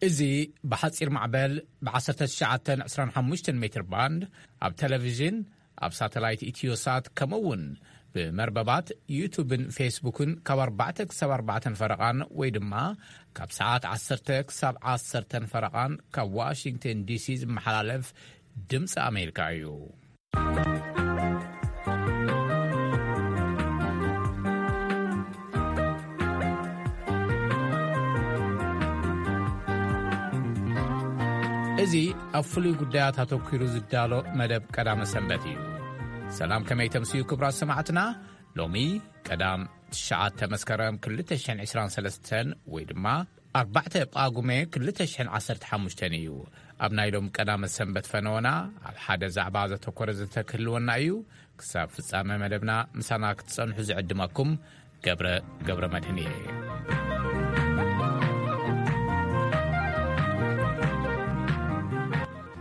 እዚ ብሓጺር ማዕበል ብ1925 ሜትር ባንድ፣ ኣብ ቴሌቪዥን፣ ኣብ ሳተላይት ኢትዮሳት፣ ከምኡ እውን ብመርበባት ዩቱብን ፌስቡክን ካብ ኣርባዕተ ክሳብ ኣርባዕተን ፈረቓን፣ ወይ ድማ ካብ ሰዓት ዓሰርተ ክሳብ ዓሰርተን ፈረቓን ካብ ዋሽንግተን ዲሲ ዝመሓላለፍ ድምፂ ኣሜሪካ እዩ። እዚ ኣብ ፍሉይ ጉዳያት ኣተኲሩ ዝዳሎ መደብ ቀዳመ ሰንበት እዩ። ሰላም፣ ከመይ ተምስዩ ክቡራት ሰማዕትና? ሎሚ ቀዳም ትሽዓተ መስከረም ክልተ ሽሕን ዕስራን ሰለስተን ወይ ድማ ኣርባዕተ ጳጉሜ ክልተ ሽሕን ዓሰርተ ሓሙሽተን እዩ። ኣብ ናይ ሎም ቀዳመ ሰንበት ፈነወና ኣብ ሓደ ዛዕባ ዘተኮረ ዘተክህልወና እዩ። ክሳብ ፍጻመ መደብና ምሳና ክትጸንሑ ዝዕድመኩም ገብረ ገብረ መድህን እየ።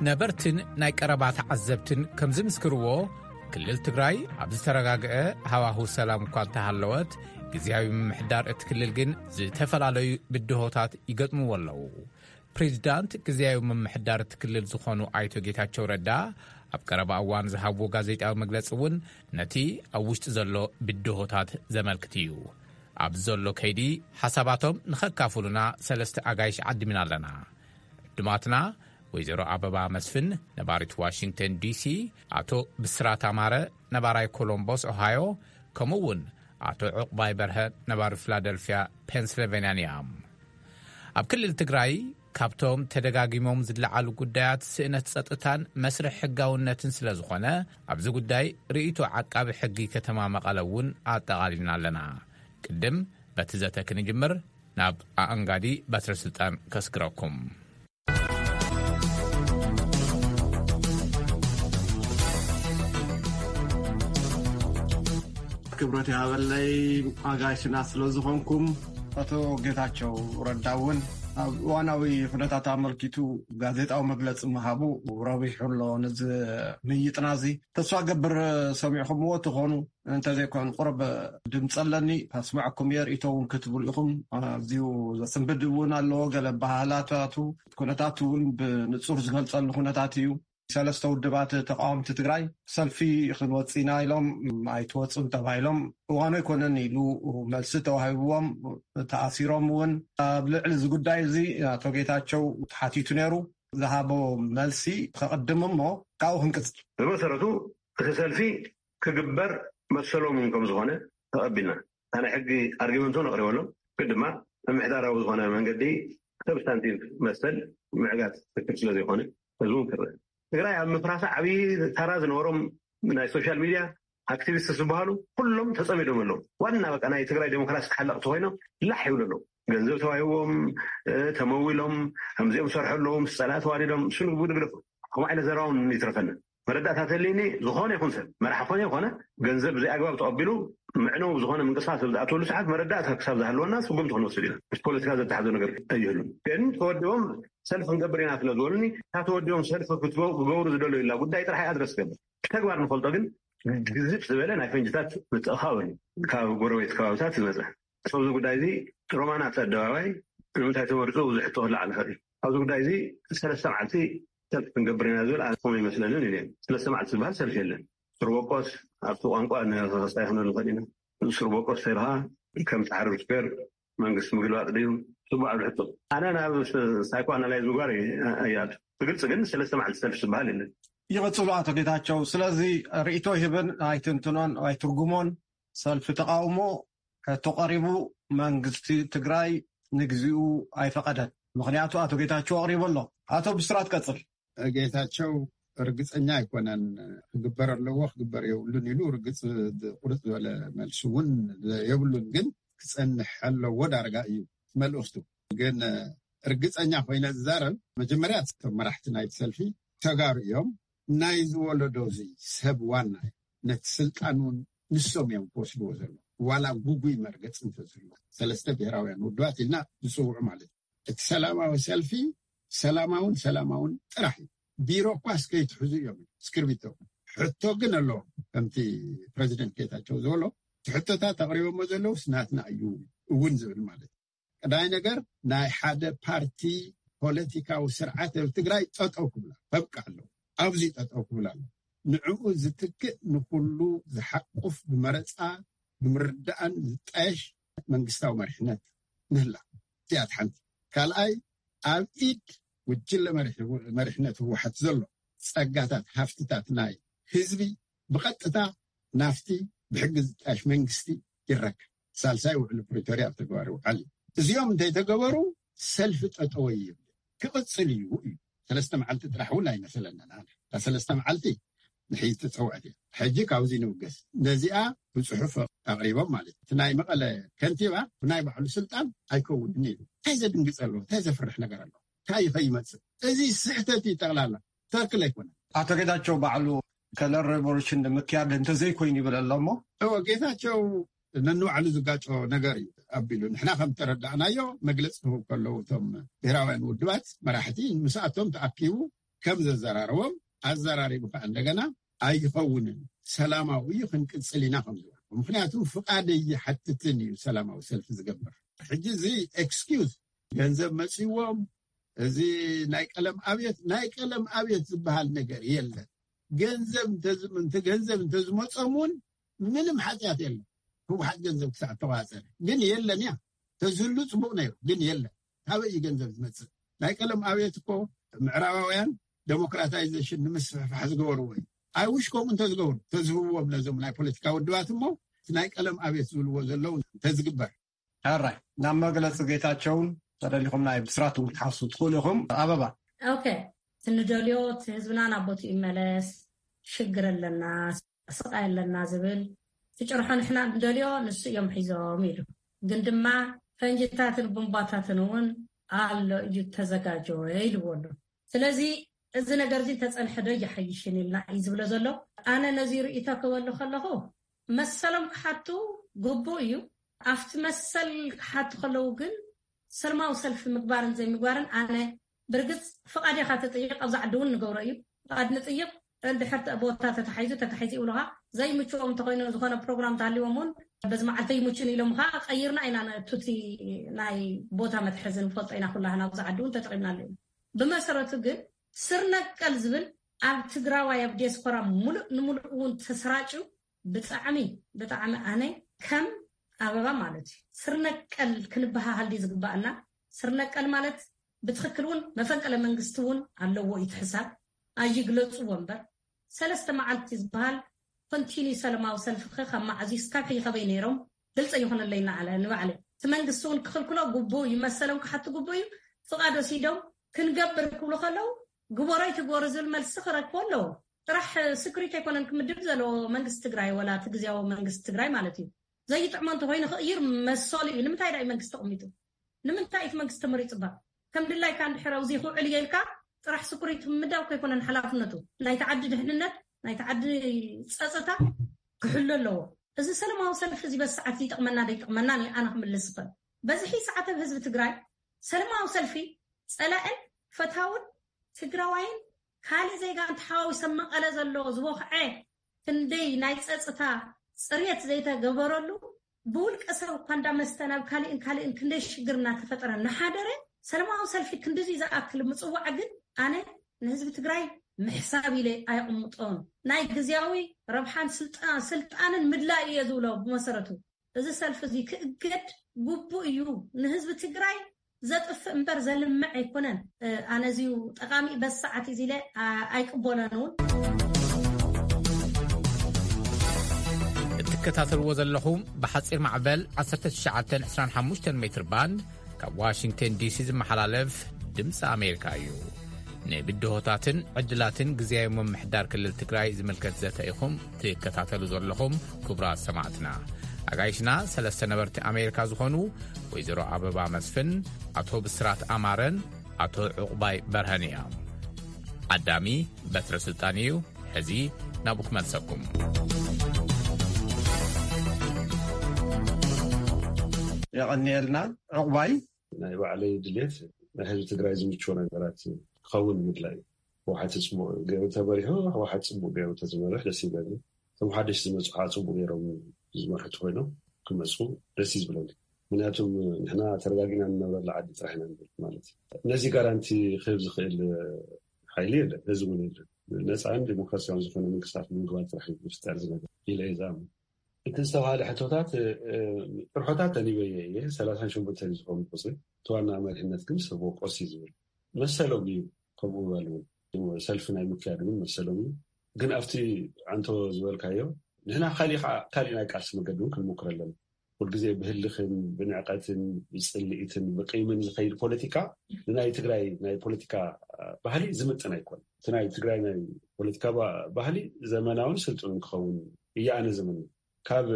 ነበርትን ናይ ቀረባ ተዓዘብትን ከም ዝምስክርዎ፣ ክልል ትግራይ ኣብ ዝተረጋግአ ሃዋሁ ሰላም እኳ እንተሃለወት፣ ግዝያዊ ምምሕዳር እቲ ክልል ግን ዝተፈላለዩ ብድሆታት ይገጥምዎ ኣለዉ። ፕሬዚዳንት ግዝያዊ ምምሕዳር እቲ ክልል ዝኾኑ ኣይቶ ጌታቸው ረዳ ኣብ ቀረባ እዋን ዝሃብዎ ጋዜጣዊ መግለጺ እውን ነቲ ኣብ ውሽጢ ዘሎ ብድሆታት ዘመልክት እዩ። ኣብ ዘሎ ከይዲ ሓሳባቶም ንኸካፍሉና ሰለስተ ኣጋይሽ ዓዲምና ኣለና። ዕዱማትና ወይዘሮ ኣበባ መስፍን፣ ነባሪት ዋሽንግተን ዲሲ፣ ኣቶ ብስራት ኣማረ፣ ነባራይ ኮሎምቦስ ኦሃዮ፣ ከምኡ እውን ኣቶ ዕቑባይ በርሀ፣ ነባሪ ፊላደልፊያ ፔንስልቬንያን እዮም። ኣብ ክልል ትግራይ ካብቶም ተደጋጊሞም ዝለዓሉ ጉዳያት ስእነት ጸጥታን መስርሕ ሕጋውነትን ስለ ዝኾነ፣ ኣብዚ ጉዳይ ርእይቶ ዓቃቢ ሕጊ ከተማ መቐለ እውን ኣጠቓሊልና ኣለና። ቅድም በቲ ዘተ ክንጅምር፣ ናብ ኣኣንጋዲ በትረ ስልጣን ከስግረኩም። ክብረት ይሃበለይ ኣጋይሽና ስለ ዝኾንኩም። ኣቶ ጌታቸው ረዳ እውን ኣብ እዋናዊ ኩነታት ኣመልኪቱ ጋዜጣዊ መግለጺ ምሃቡ ረቢሑ ኣሎ። ነዚ ምይይጥና እዚ ተስፋ ገብር ሰሚዕኹምዎ ትኾኑ። እንተዘይኮን ቁሩብ ድምፂ ኣለኒ፣ ከስምዐኩም እየ፣ ርእይቶ እውን ክትብሉ ኢኹም። ኣዝዩ ዘስንብድ እውን ኣለዎ። ገለ ኣበሃህላታቱ፣ ኩነታቱ እውን ብንፁር ዝገልፀሉ ኩነታት እዩ። ሰለስተ ውድባት ተቃወምቲ ትግራይ ሰልፊ ክንወፅእ ኢና ኢሎም፣ ኣይትወፁን ተባሂሎም፣ እዋኑ ኣይኮነን ኢሉ መልሲ ተዋሂብዎም፣ ተኣሲሮም እውን። ኣብ ልዕሊ እዚ ጉዳይ እዚ ኣቶ ጌታቸው ተሓቲቱ ነይሩ። ዝሃቦ መልሲ ከቕድም እሞ ካብኡ ክንቅፅል። ብመሰረቱ እቲ ሰልፊ ክግበር መሰሎም እውን ከም ዝኾነ ተቐቢልና፣ እታ ናይ ሕጊ ኣርጊመንት እውን ኣቕሪበሎም፣ ግን ድማ ምምሕዳራዊ ዝኾነ መንገዲ ሰብስታንቲቭ መሰል ምዕጋት ትክክል ስለ ዘይኮነ ህዝቡ እውን ክርእ። ትግራይ ኣብ ምፍራሳ ዓብዪ ታራ ዝነበሮም ናይ ሶሻል ሚድያ ኣክቲቪስት ዝበሃሉ ኩሎም ተጸሚዶም ኣለዉ። ዋና በቃ ናይ ትግራይ ዴሞክራሲ ተሓለቕቲ ኮይኖም ላሕ ይብሉ ኣለዉ። ገንዘብ ተዋሂቦም፣ እ፣ ተመዊሎም፣ ከምዚኦም ሰርሑ ኣለዉ፣ ምስ ጸላኢ ተዋዲዶም፣ እሱ ንግደፎ። ከምኡ ዓይነት ዘረባ እውን ይትረፈና። መረዳእታ ተልዩኒ፣ ዝኾነ ይኹን ሰብ፣ መራሒ ኮነ ይኾነ፣ ገንዘብ ብዘይ ኣግባብ ተቐቢሉ፣ ምዕነው ዝኾነ ምንቅስቃስ ኣብ ዝኣትወሉ ሰዓት መረዳእታ ክሳብ ዝሃለወና ስጉምቲ ክንወስድ ኢና። ምስ ፖለቲካ ዘተሓዘ ነገር ኣይህሉን። ግን ተወዲቦም ሰልፊ ክንገብር ኢና ስለ ዝበሉኒ፣ እታ ተወዲቦም ሰልፊ ክትገ-፣ ክገብሩ ዝደለዩላ ጉዳይ ጥራሕ እያ ኣድረስ ትገብር። ብተግባር ንፈልጦ ግን ግዝፍ ዝበለ ናይ ፈንጅታት ምትእኻብ ኣሎ ካብ ጎረቤት ከባብታት ዝመፀ። ኣብዚ ጉዳይ እዚ ሮማናት ኣደባባይ ንምንታይ ተመሪፁ ብዙሕ ሕቶ ክለዓል ይኽእል እዩ። ኣብዚ ጉዳይ እዚ ሰለስተ መዓልቲ ሰልፊ ክንገብር ኢና ዝብል ኣነ ከምኡ ይመስለንን ኢለ። ሰለስተ መዓልቲ ዝበሃል ሰልፊ የለን። ስርበቆስ ኣብቲ ቋንቋ ንኸስታይ ክንብል ንኽእል ኢና። ስርበቆስ ተይልኻ ከም ጻዕሪ ስፔር መንግስቲ ምግልባጥ ድዩ? ጽቡቕ ዓብዲ ሕቶ። ኣነ ናብ ሳይኮ ኣናላይዝ ምግባር እየ፣ እየ ኣቱ። ብግልጺ ግን ሰለስተ መዓልቲ ሰልፊ ዝበሃል የለን። ይቕጽሉ ኣቶ ጌታቸው። ስለዚ ርእይቶ ይህብን ኣይትንትኖን ኣይትርጉሞን። ሰልፊ ተቃውሞ ሕቶ ቀሪቡ፣ መንግስቲ ትግራይ ንግዚኡ ኣይፈቐደን። ምኽንያቱ ኣቶ ጌታቸው ኣቕሪቡ ኣሎ። ኣቶ ብስራት ቀጽል። ጌታቸው ርግጸኛ ኣይኮነን። ክግበር ኣለዎ ክግበር የብሉን ኢሉ ርግጽ ቁርጽ ዝበለ መልሲ እውን የብሉን። ግን ክጸንሕ ኣለዎ ዳርጋ እዩ መልእኽቱ። ግን ርግጸኛ ኮይነ ዝዛረብ፣ መጀመርያ እቶም መራሕቲ ናይቲ ሰልፊ ተጋሩ እዮም። ናይዚ ወለዶ እዚ ሰብ ዋና እዩ። ነቲ ስልጣን እውን ንሶም እዮም ክወስድዎ ዘለዉ። ዋላ ጉጉይ መርገጽ እንተዝህሉ፣ ሰለስተ ብሄራውያን ውድባት ኢልና ዝጽውዑ ማለት እዩ። እቲ ሰላማዊ ሰልፊ ሰላማውን ሰላማውን ጥራሕ እዩ። ቢሮ እኳ እስከይትሕዙ እዮም እስክርቢቶ። ሕቶ ግን ኣለዎም። ከምቲ ፕረዚደንት ጌታቸው ዝበሎ፣ እቲ ሕቶታት ኣቕሪቦሞ ዘለውስ ናትና እዩ እውን ዝብል ማለት እዩ። ቀዳይ ነገር፣ ናይ ሓደ ፓርቲ ፖለቲካዊ ስርዓት ኣብ ትግራይ ጠጠው ክብላ በቃ ኣለዎ። ኣብዚ ጠጠው ክብል ኣሎ። ንዕኡ ዝትክእ ንኩሉ ዝሓቁፍ ብመረፃ ብምርዳእን ዝጣየሽ መንግስታዊ መሪሕነት ምህላ እዚኣት ሓንቲ። ካልኣይ ኣብ ኢድ ጉጅለ መሪሕነት ህወሓት ዘሎ ፀጋታት ሃፍትታት ናይ ህዝቢ ብቐጥታ ናፍቲ ብሕጊ ዝጣየሽ መንግስቲ ይረከብ። ሳልሳይ ውዕሊ ፕሪቶርያ ኣብ ተግባር ይውዓል እዩ። እዚኦም እንተይተገበሩ ሰልፊ ጠጠወ ይብል ክቕፅል እዩ እዩ። ሰለስተ መዓልቲ ጥራሕ እውን ኣይመሰለንን። እታ ሰለስተ መዓልቲ ንሕጂ ተፀውዐት እያ። ሕጂ ካብዚ ንብገስ ነዚኣ ብፅሑፍ ኣቕሪቦም ማለት እቲ ናይ መቐለ ከንቲባ ብናይ ባዕሉ ስልጣን ኣይከውንን እዩ። እንታይ ዘድንግፅ ኣለዎ? እንታይ ዘፍርሕ ነገር ኣለዎ? እንታይ ይኸይመፅእ? እዚ ስሕተት እዩ። ጠቕላላ ትክክል ኣይኮነን። ኣቶ ጌታቸው ባዕሉ ከለር ሬቮሉሽን ንምክያድ እንተዘይኮይኑ ይብል ኣሎ እሞ እዎ ጌታቸው ነንባዕሉ ዝጋጮ ነገር እዩ ኣቢሉ። ንሕና ከም ተረዳእናዮ መግለፂ ክህቡ ከለዉ እቶም ብሄራውያን ውድባት መራሕቲ ምስኣቶም ተኣኪቡ ከም ዘዘራረቦም ኣዘራሪቡ ከዓ እንደገና ኣይኸውንን ሰላማዊ እዩ ክንቅፅል ኢና ከም ዝበሉ። ምክንያቱ ፍቓድ ይሓትትን እዩ ሰላማዊ ሰልፊ ዝገብር። ሕጂ እዚ ኤክስኪውዝ ገንዘብ መፅዎም እዚ ናይ ቀለም ኣብየት ናይ ቀለም ኣብየት ዝበሃል ነገር የለን። ገንዘብ እንተዝም- እንተ ገንዘብ እንተዝመፆም እውን ምንም ሓጢኣት የለን። ህወሓት ገንዘብ ክሳዕ ተዋፀረ ግን የለን እያ። ተዝህሉ ፅቡቅ ነይሩ ግን የለን። ካበይ እዩ ገንዘብ ዝመፅእ? ናይ ቀለም ኣብየት እኮ ምዕራባውያን ዴሞክራታይዜሽን ንምስፍሕፋሕ ዝገበርዎ እዩ። ኣይ ውሽ ከምኡ እንተዝገብሩ ተዝህብዎም ነዞም ናይ ፖለቲካ ውድባት እሞ እቲ ናይ ቀለም ኣብየት ዝብልዎ ዘለዉ እንተዝግበር። ሕራይ ናብ መግለፂ ጌታቸውን ተደሊኹም ናይ ብስራት እውን ክትሓፍሱ ትኽእሉ ኢኹም። ኣበባ ኦኬ፣ ትንደልዮ እቲ ህዝብና ናብ ቦትኡ ይመለስ። ሽግር ኣለና፣ ስቃይ ኣለና ዝብል ትጭርሖ ንሕና ንደልዮ ንሱ እዮም ሒዞም ኢሉ። ግን ድማ ፈንጅታትን ቡምባታትን እውን ኣሎ እዩ ተዘጋጀወ ኢልዎ ኣሎ። ስለዚ እዚ ነገር እዚ እንተፀንሐ ዶ ይሓይሽን ኢልና እዩ ዝብሎ ዘሎ። ኣነ ነዚ ርእይቶ ክበሉ ከለኹ መሰሎም ክሓቱ ግቡእ እዩ። ኣብቲ መሰል ክሓቱ ከለዉ ግን ሰልማዊ ሰልፊ ምግባርን ዘይምግባርን ኣነ ብርግፅ ፍቓድ ኢኻ ትጥይቕ ኣብዚ ዓዲ እውን ንገብሮ እዩ። ፍቓድ ንጥይቕ እንድሕር ቦታ ተታሒዙ ተታሒዙ ይብሉኻ ዘይምችዎም እንተኮይኑ ዝኾነ ፕሮግራም ተሃልዎም እውን በዚ መዓልተ ይምቹን ኢሎም ከዓ ቀይርና ኢና ነቱቲ ናይ ቦታ መትሐዚ ንፈልጦ ኢና ኩላህና ኣብዚ ዓዲ እውን ተጠቂምናሉ ኢና። ብመሰረቱ ግን ስር ነቀል ዝብል ኣብ ትግራዋይ ኣብ ዲያስፖራ ሙሉእ ንሙሉእ እውን ተሰራጭዩ ብጣዕሚ ብጣዕሚ ኣነ ከም ኣበባ ማለት እዩ ስር ነቀል ክንበሃሃል ድዩ ዝግባኣና? ስር ነቀል ማለት ብትኽክል እውን መፈንቅለ መንግስቲ እውን ኣለዎ እዩ ትሕሳብ ኣይግለፅዎ እምበር ሰለስተ መዓልቲ ዝበሃል ኮንቲኒ ሰለማዊ ሰልፊ ከ ካብ መዓዝ እዩ እስካብ ሕጂ ከበይ ነይሮም ግልፂ ይኹንለይ እናዓለ ንባዕለ እቲ መንግስቲ እውን ክኽልክሎ ግቡ እዩ መሰሎም ክሓቱ ግቡ እዩ ፍቓድ ወሲዶም ክንገብር ክብሉ ከለዉ ግበሮ ኣይትግበሩ ዝብል መልሲ ክረክቦ ኣለዎ ጥራሕ ስክሪት ኣይኮነን ክምድብ ዘለዎ መንግስቲ ትግራይ ወላ እቲ ግዝያዊ መንግስቲ ትግራይ ማለት እዩ ዘይጥዕሞ እንተኮይኑ ክቕይር መሰሉ እዩ ንምንታይ ዳ እዩ መንግስቲ ተቐሚጡ ንምንታይ እቲ መንግስቲ ተመሪፁ ባ ከም ድላይካ እንድሕር ኣብዚ ክውዕል እየ ኢልካ ጥራሕ ስኩሪቲ ምዳው ከይኮነን ሓላፍነቱ ናይቲ ዓዲ ድሕንነት ናይቲ ዓዲ ፀፅታ ክሕሉ ኣለዎ እዚ ሰለማዊ ሰልፊ እዚ በዚ ሰዓት እዚ ይጠቕመና ዶ ይጠቕመና እዩ ኣነ ክምልስ ይኽእል በዝሒ ሰዓት ኣብ ህዝቢ ትግራይ ሰለማዊ ሰልፊ ፀላእን ፈታውን ትግራዋይን ካልእ ዜጋ እንተሓዋዊሰ መቐለ ዘሎ ዝቦኽዐ ክንደይ ናይ ፀፅታ ፅርየት ዘይተገበረሉ ብውልቀ ሰብ እኳ እንዳመስተ ናብ ካሊእን ካሊእን ክንደይ ሽግር እናተፈጠረ እናሓደረ ሰለማዊ ሰልፊ ክንድዚ ዝኣክል ምፅዋዕ ግን ኣነ ንህዝቢ ትግራይ ምሕሳብ ኢለ ኣይቕምጦን ናይ ግዝያዊ ረብሓን ስልጣንን ምድላይ እየ ዝብሎ ብመሰረቱ እዚ ሰልፊ እዚ ክእገድ ግቡእ እዩ ንህዝቢ ትግራይ ዘጥፍእ እምበር ዘልምዕ ኣይኮነን ኣነ እዚዩ ጠቃሚ በዚ ሰዓት እዚ ኢለ ኣይቅበሎን እውን እትከታተልዎ ዘለኹም ብሓፂር ማዕበል ዓሰርተ ትሽዓተ ዕስራን ሓሙሽተን ሜትር ባንድ ካብ ዋሽንግተን ዲሲ ዝመሓላለፍ ድምፂ ኣሜሪካ እዩ ንብድሆታትን ዕድላትን ግዝያዊ ምምሕዳር ክልል ትግራይ ዝምልከት ዘተ ኢኹም ትከታተሉ ዘለኹም ክቡራት ሰማዕትና ኣጋይሽና ሰለስተ ነበርቲ ኣሜሪካ ዝኾኑ ወይዘሮ ኣበባ መስፍን ኣቶ ብስራት ኣማረን ኣቶ ዕቑባይ በርሀን እዮም ኣዳሚ በትረ ስልጣን እዩ ሕዚ ናብኡ ክመልሰኩም የቐንየልና ዕቑባይ ናይ ባዕለይ ድሌት ናይ ህዝቢ ትግራይ ዝምችዎ ነገራት ክኸውን ምድላይ እዩ ህወሓት ፅቡቅ ገይሩ ተመሪሑ ህወሓት ፅቡቅ ገይሩ ተዝመርሕ ደስ ይብለኒ እቶም ሓደሽ ዝመፁ ከዓ ፅቡቅ ገይሮም ዝመርሑ ተኮይኖም ክመፁ ደስ እዩ ዝብለኒ ምክንያቱም ንሕና ተረጋጊና እንነብረላ ዓዲ ጥራሕ ኢና ንብል ማለት እዩ። ነዚ ጋራንቲ ክህብ ዝኽእል ሓይሊ የለን፣ ህዝቢ እውን የለን። ነፃን ዲሞክራሲያውን ዝኾነ መንግስታት ንምግባር ጥራሕ እዩ ዝፍጠር ዝነገር ኢለ እየ ዝኣምን። እቲ ዝተባሃለ ሕቶታት ጥርሖታት ተኒበየ እየ። ሰላሳን ሸሞንተን ዝኾኑ ቁፅሪ እቲ ዋና መሪሕነት ግን ሰብ ወቆስ እዩ ዝብል መሰሎም እዩ። ከምኡ በል እውን ሰልፊ ናይ ምክያድ እውን መሰሎም እዩ። ግን ኣብቲ ኣንቶ ዝበልካዮ ንሕና ካሊእ ከዓ ካሊእ ናይ ቃልሲ መገዲ እውን ክንሞክር ኣለና። ኩልግዜ ብህልኽን ብንዕቀትን ብፅልኢትን ብቂምን ዝኸይድ ፖለቲካ ንናይ ትግራይ ናይ ፖለቲካ ባህሊ ዝምጥን ኣይኮን። እቲ ናይ ትግራይ ናይ ፖለቲካ ባህሊ ዘመናውን ስልጡንን ክኸውን እየ ኣነ ዝምነ። ካብ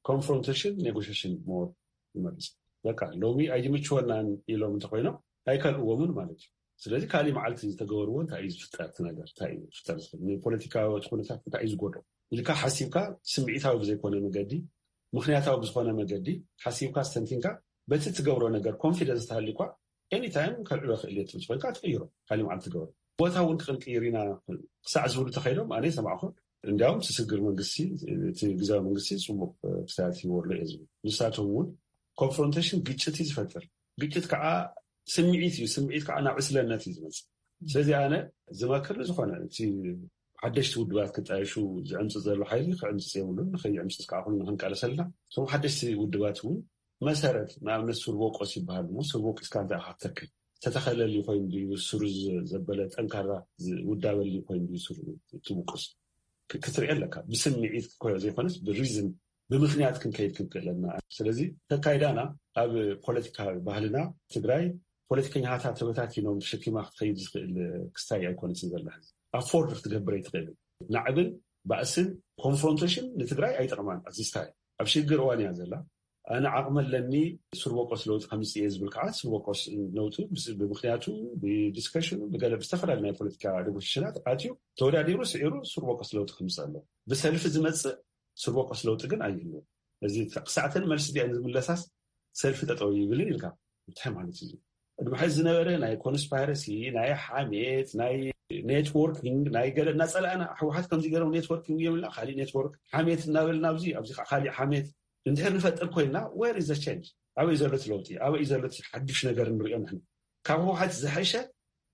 ኮንፍሮንቴሽን ኔጎሽሽን ሞር ይመርፅ። በቃ ሎሚ ኣይምችወናን ኢሎም እንተኮይኖም ኣይከልእዎምን ማለት እዩ። ስለዚ ካሊእ መዓልቲ ዝተገበርዎ እንታይ እዩ ዝፍጠር? እቲ ነገር እንታይ እዩ ዝፍጠር ዝኽእል? ንፖለቲካዊ ኩነታት እንታይ እዩ ዝጎድኦ ኢልካ ሓሲብካ ስምዒታዊ ብዘይኮነ መገዲ፣ ምክንያታዊ ብዝኾነ መገዲ ሓሲብካ ስተንቲንካ በቲ ትገብሮ ነገር ኮንፊደንስ ተሃልዩኳ ኤኒታይም ከልዕሎ ክእል እየ ትብል ኮይንካ ትቅይሮ። ካሊእ መዓልቲ ትገብሮ ቦታ እውን ክንቅይር ኢና ክሳዕ ዝብሉ ተኸይዶም ኣነ ሰማዕኹ። እንዲያውም እቲ ስግር መንግስቲ እቲ ግዛዊ መንግስቲ ፅቡቅ ክሳያት ይወርሎ እየ ዝብል። ንሳቶም እውን ኮንፍሮንቴሽን ግጭት እዩ ዝፈጥር። ግጭት ከዓ ስምዒት እዩ። ስምዒት ከዓ ናብ ዕስለነት እዩ ዝመፅእ። ስለዚ ኣነ ዝመክር ንዝኾነ እቲ ሓደሽቲ ውድባት ክጣየሹ ዝዕምፅ ዘሎ ሓይሊ ክዕምፅፅ የብሉን። ንኸይዕምፅፅ ከዓ ኩሉ ንክንቃለሰልና እቶም ሓደሽቲ ውድባት እውን መሰረት ንኣብነት ሱር ቦቆስ ይበሃል እሞ ሱር ቦቂስካ እንታይ ኢኻ ክትተክል? ዝተተኸለሊ ኮይኑ ድዩ ስሩ ዘበለ ጠንካራ ውዳበሊ ኮይኑ ድዩ ስሩ ትብቁስ ክትርኢ ኣለካ። ብስምዒት ዘይኮነስ ብሪዝን ብምክንያት ክንከይድ ክንክእለና። ስለዚ ተካይዳና ኣብ ፖለቲካ ባህልና ትግራይ ፖለቲከኛታት ተበታቲኖም ተሸኪማ ክትኸይድ ዝኽእል ክስታይ ኣይኮነትን ዘላ። ኣፎርድ ክትገብር ኣይትኽእልን። ናዕብን ባእስን ኮንፍሮንቴሽን ንትግራይ ኣይጠቕማን። ኣዚስታይ ኣብ ሽግር እዋን እያ ዘላ። ኣነ ዓቕሚ ኣለኒ ሱር በቆስ ለውጢ ከምፅእ እየ ዝብል ከዓ ሱር በቆስ ነውጢ ብምክንያቱ ብዲስከሽኑ ብገለ ብዝተፈላለዩ ናይ ፖለቲካ ኔጎሽሽናት ኣትዩ ተወዳዲሩ ስዒሩ ሱር በቆስ ለውጢ ከምፅእ ኣሎ። ብሰልፊ ዝመፅእ ሱር በቆስ ለውጢ ግን ኣይህልዎ። እዚ ክሳዕተን መልሲ ዲኣን ዝምለሳስ ሰልፊ ጠጠው ይብልን ኢልካ እንታይ ማለት እዩ? ቅድሚ ሕዚ ዝነበረ ናይ ኮንስፓይረሲ ናይ ሓሜት ናይ ኔትወርኪንግ ናይ ገለ እናፀላእና ህወሓት ከምዚ ገይሮም ኔትወርኪንግ የብልና ካሊእ ኔትወርክ ሓሜት እናበልና ኣብዚ ኣብዚ ከዓ ካሊእ ሓሜት እንድሕር ንፈጥር ኮይንና where is the change? ኣበይ ዘሎ እቲ ለውጢ ኣበይ ዘሎ እቲ ሓዱሽ ነገር ንሪኦ ንሕና? ካብ ህወሓት ዝሐሸ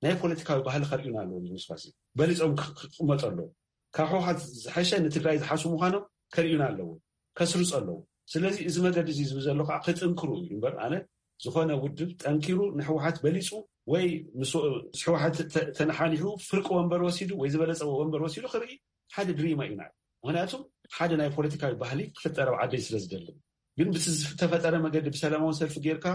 ናይ ፖለቲካዊ ባህሊ ከርእዩና ኣለዎ። ዝምስፋሲ በሊፆም ክቅመጡ ኣለዎ። ካብ ህወሓት ዝሐሸ ንትግራይ ዝሓሱ ምዃኖም ከርእዩና ኣለዎ። ከስርፁ ኣለዎ። ስለዚ እዚ መገዲ እዚ ዝብል ዘሎ ከዓ ክጥንክሩ እዩ እምበር ኣነ ዝኾነ ውድብ ጠንኪሩ ንህወሓት በሊፁ ወይ ምስ ህወሓት ተነሓኒሑ ፍርቂ ወንበር ወሲዱ ወይ ዝበለፀ ወንበር ወሲዱ ክርኢ ሓደ ድሪማ እዩ ናይ ምክንያቱም ሓደ ናይ ፖለቲካዊ ባህሊ ክፍጠር ኣብ ዓደይ ስለ ዝደልን ግን ብቲ ዝተፈጠረ መገዲ ብሰላማዊ ሰልፊ ጌርካ